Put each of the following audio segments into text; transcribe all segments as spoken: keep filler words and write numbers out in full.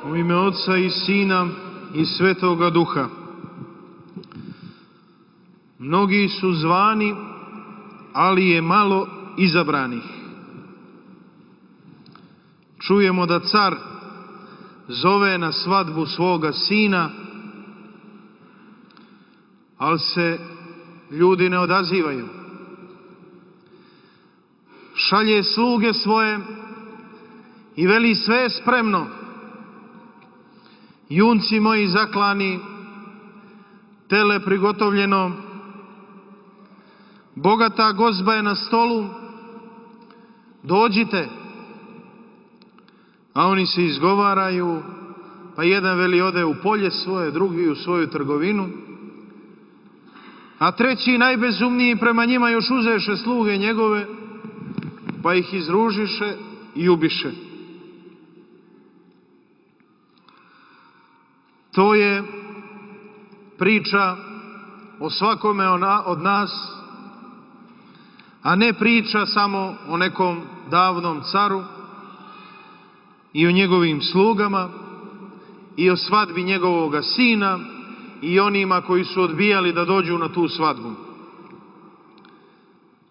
U ime Otca i Sina i Svetoga Duha. Mnogi su zvani, ali je malo izabranih. Čujemo da car zove na svadbu svoga sina, ali se ljudi ne odazivaju. Šalje sluge svoje i veli: sve je spremno. Junci moji zaklani, tele prigotovljeno, bogata gozba je na stolu, dođite. A oni se izgovaraju, pa jedan veli ode u polje svoje, drugi u svoju trgovinu, a treći, najbezumniji, prema njima još uzeše sluge njegove, pa ih izružiše i ubiše. To je priča o svakome od nas, a ne priča samo o nekom davnom caru i o njegovim slugama i o svadbi njegovoga sina i onima koji su odbijali da dođu na tu svadbu.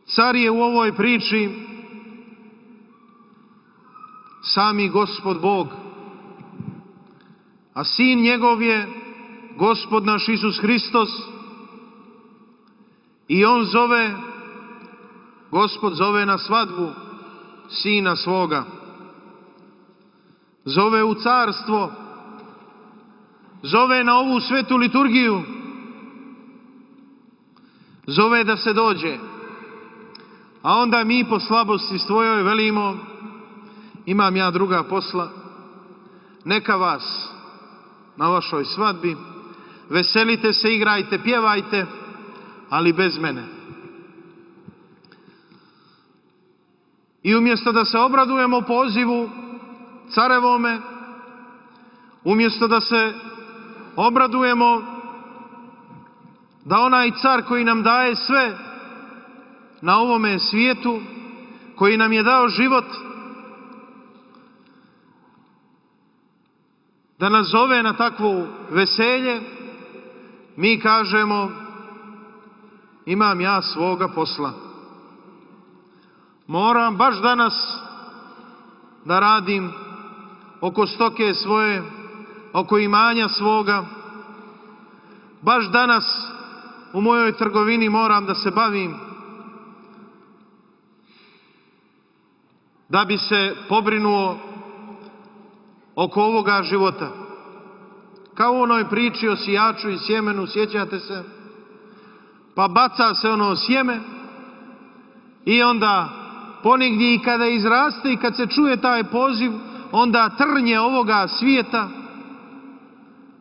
Car je u ovoj priči sami Gospod Bog, a sin njegov je Gospod naš Isus Hristos i on zove, Gospod zove na svadbu sina svoga. Zove u carstvo, zove na ovu svetu liturgiju, zove da se dođe. A onda mi po slabosti svojoj velimo: imam ja druga posla, neka vas na vašoj svadbi, veselite se, igrajte, pjevajte, ali bez mene. I umjesto da se obradujemo pozivu carevome, umjesto da se obradujemo da onaj car koji nam daje sve na ovome svijetu, koji nam je dao život, da nas zove na takvo veselje, mi kažemo: imam ja svoga posla. Moram baš danas da radim oko stoke svoje, oko imanja svoga. Baš danas u mojoj trgovini moram da se bavim da bi se pobrinuo oko ovoga života. Kao u onoj priči o sijaču i sjemenu, sjećate se? Pa baca se ono sjeme i onda ponegdje i kada izraste i kad se čuje taj poziv, onda trnje ovoga svijeta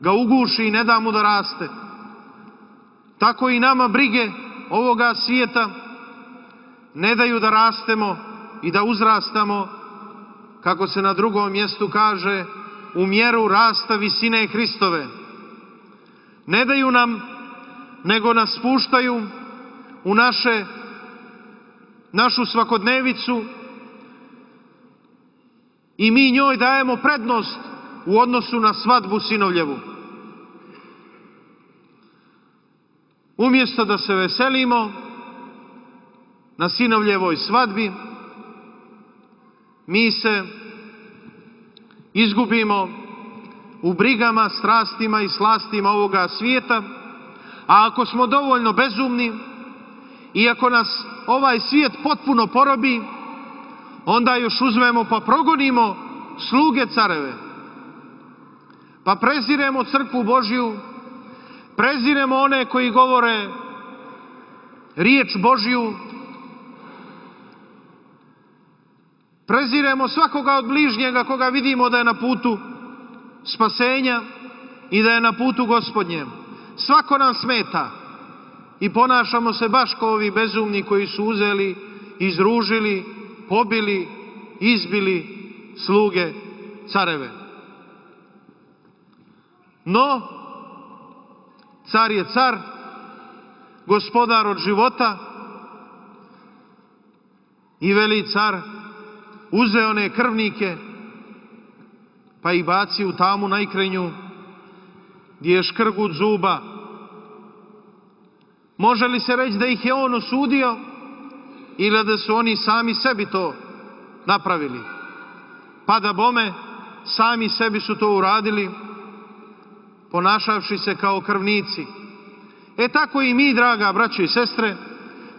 ga uguši i ne da mu da raste. Tako i nama brige ovoga svijeta ne daju da rastemo i da uzrastamo, kako se na drugom mjestu kaže, u mjeru rasta visine Hristove. Ne daju nam, nego nas spuštaju u naše, našu svakodnevicu i mi njoj dajemo prednost u odnosu na svadbu sinovljevu. Umjesto da se veselimo na sinovljevoj svadbi, mi se izgubimo u brigama, strastima i slastima ovoga svijeta, a ako smo dovoljno bezumni i ako nas ovaj svijet potpuno porobi, onda još uzmemo pa progonimo sluge careve, pa preziremo crkvu Božju, preziremo one koji govore riječ Božju, preziremo svakoga od bližnjega koga vidimo da je na putu spasenja i da je na putu Gospodnjem. Svako nam smeta i ponašamo se baš kao ovi bezumni koji su uzeli, izružili, pobili, izbili sluge careve. No, car je car, gospodar od života, i veli car: uze one krvnike pa ih baci u tamu najkrajnju, gdje je škrgut zuba. Može li se reći da ih je on osudio ili da su oni sami sebi to napravili? Pa da bome, sami sebi su to uradili, ponašavši se kao krvnici. E tako i mi, draga braćo i sestre,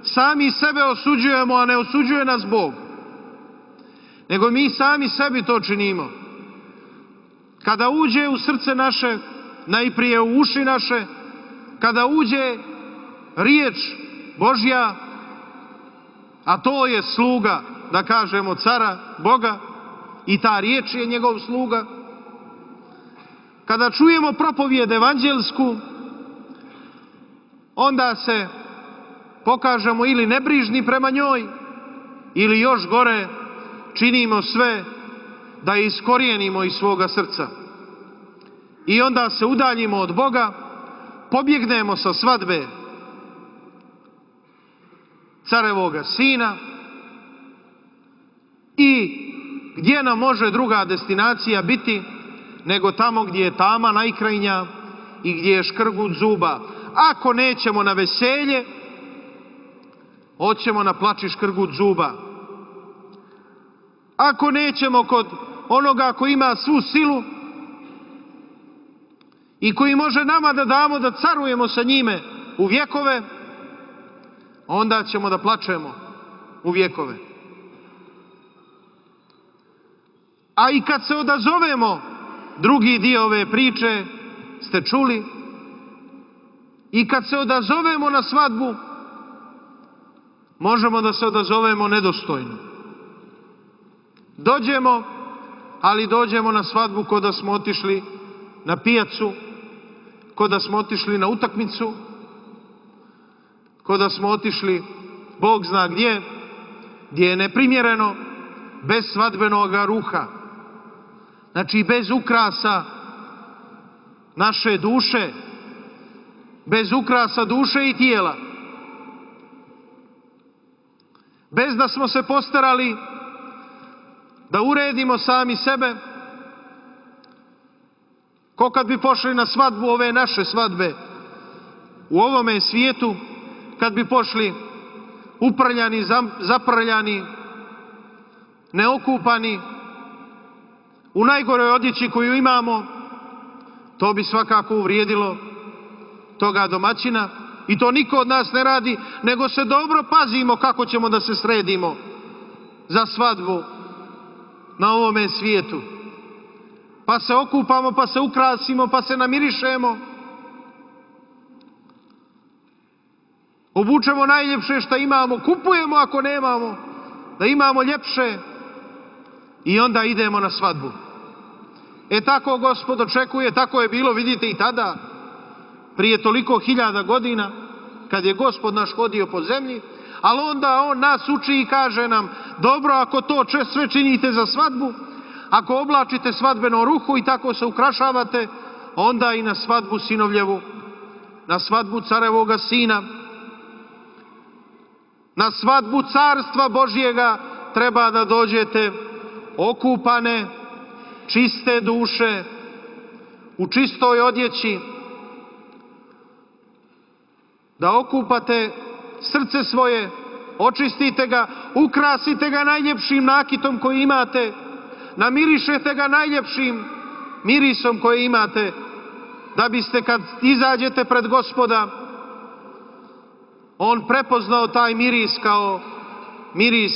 sami sebe osuđujemo, a ne osuđuje nas Bog. Nego mi sami sebi to činimo. Kada uđe u srce naše, najprije u uši naše, kada uđe riječ Božja, a to je sluga, da kažemo, cara Boga, i ta riječ je njegov sluga. Kada čujemo propovijed evanđelsku, onda se pokažemo ili nebrižni prema njoj, ili još gore, činimo sve da je iskorijenimo iz svoga srca. I onda se udaljimo od Boga, pobjegnemo sa svadbe carevoga sina i gdje nam može druga destinacija biti nego tamo gdje je tama najkrajnja i gdje je škrgut zuba. Ako nećemo na veselje, hoćemo na plač i škrgut zuba. Ako nećemo kod onoga koji ima svu silu i koji može nama da damo da carujemo sa njime u vjekove, onda ćemo da plačemo u vjekove. A i kad se odazovemo, drugi dio ove priče ste čuli, i kad se odazovemo na svadbu, možemo da se odazovemo nedostojno. Dođemo, ali dođemo na svadbu ko da smo otišli na pijacu, ko da smo otišli na utakmicu, ko da smo otišli Bog zna gdje, gdje je neprimjereno, bez svadbenog ruha. Znači bez ukrasa naše duše, bez ukrasa duše i tijela. Bez da smo se postarali da uredimo sami sebe, ko kad bi pošli na svadbu, ove naše svadbe u ovome svijetu, kad bi pošli uprljani, zaprljani, neokupani, u najgoroj odjeći koju imamo, to bi svakako uvrijedilo toga domaćina i to niko od nas ne radi, nego se dobro pazimo kako ćemo da se sredimo za svadbu na ovome svijetu. Pa se okupamo, pa se ukrasimo, pa se namirišemo. Obučemo najljepše što imamo, kupujemo ako nemamo, da imamo ljepše i onda idemo na svadbu. E tako Gospod očekuje, tako je bilo, vidite i tada, prije toliko hiljada godina, kad je Gospod naš hodio po zemlji, ali onda On nas uči i kaže nam, dobro, ako to sve činite za svadbu, ako oblačite svadbeno ruhu i tako se ukrašavate, onda i na svadbu sinovljevu, na svadbu carevoga sina, na svadbu carstva Božjega treba da dođete okupane, čiste duše, u čistoj odjeći, da okupate srce svoje, očistite ga, ukrasite ga najljepšim nakitom koji imate, namirišete ga najljepšim mirisom koji imate, da biste kad izađete pred Gospoda, On prepoznao taj miris kao miris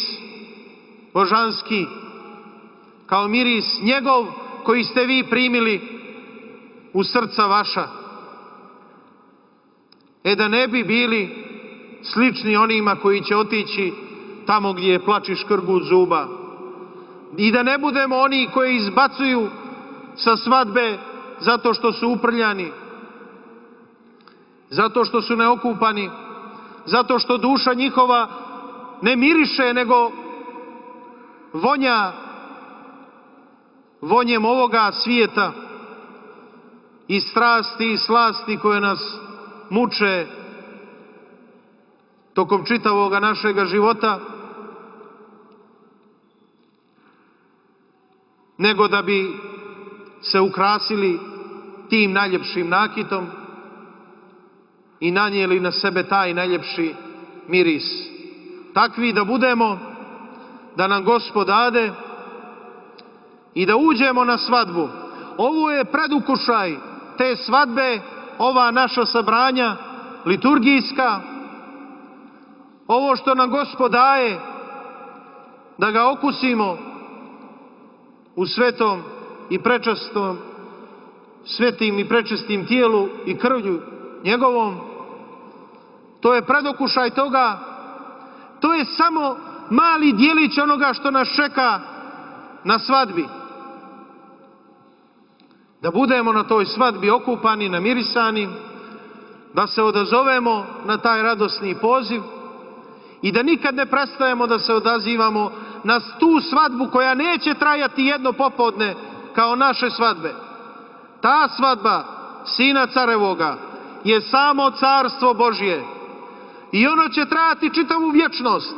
božanski, kao miris njegov koji ste vi primili u srca vaša. E da ne bi bili slični onima koji će otići tamo gdje je plač i škrgut zuba. I da ne budemo oni koji izbacuju sa svadbe zato što su uprljani, zato što su neokupani, zato što duša njihova ne miriše, nego vonja vonjem ovoga svijeta i strasti i slasti koje nas muče tokom čitavoga našega života, nego da bi se ukrasili tim najljepšim nakitom i nanijeli na sebe taj najljepši miris. Takvi da budemo, da nam Gospod dade i da uđemo na svadbu. Ovo je predukušaj te svadbe, ova naša sabranja liturgijska, ovo što nam Gospod daje, da ga okusimo u svetom i prečastom, svetim i prečastim tijelu i krvlju njegovom. To je predokušaj toga, to je samo mali dijelić onoga što nas čeka na svadbi. Da budemo na toj svadbi okupani, namirisani, da se odazovemo na taj radosni poziv i da nikad ne prestajemo da se odazivamo na tu svadbu koja neće trajati jedno popodne kao naše svadbe. Ta svadba Sina Carevoga je samo Carstvo Božje i ono će trajati čitavu vječnost.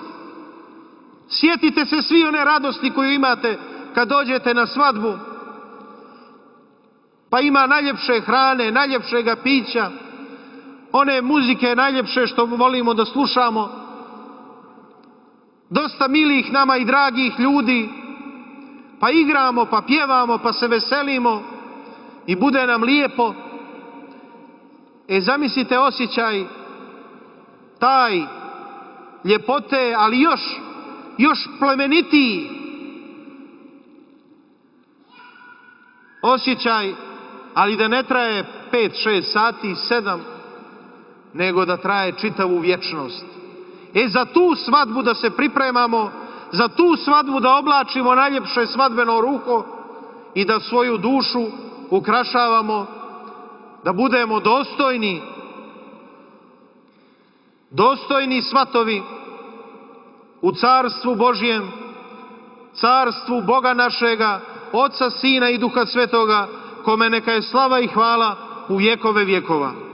Sjetite se svi one radosti koju imate kad dođete na svadbu, pa ima najljepše hrane, najljepšega pića, one muzike najljepše što volimo da slušamo, dosta milih nama i dragih ljudi, pa igramo, pa pjevamo, pa se veselimo i bude nam lijepo. E zamislite osjećaj taj ljepote, ali još, još plemenitiji osjećaj, ali da ne traje pet, šest sati, sedam, nego da traje čitavu vječnost. E za tu svadbu da se pripremamo, za tu svadbu da oblačimo najljepše svadbeno ruho i da svoju dušu ukrašavamo, da budemo dostojni, dostojni svatovi u Carstvu Božjem, Carstvu Boga našega, Oca, Sina i Duha Svetoga, kome neka je slava i hvala u vjekove vjekova.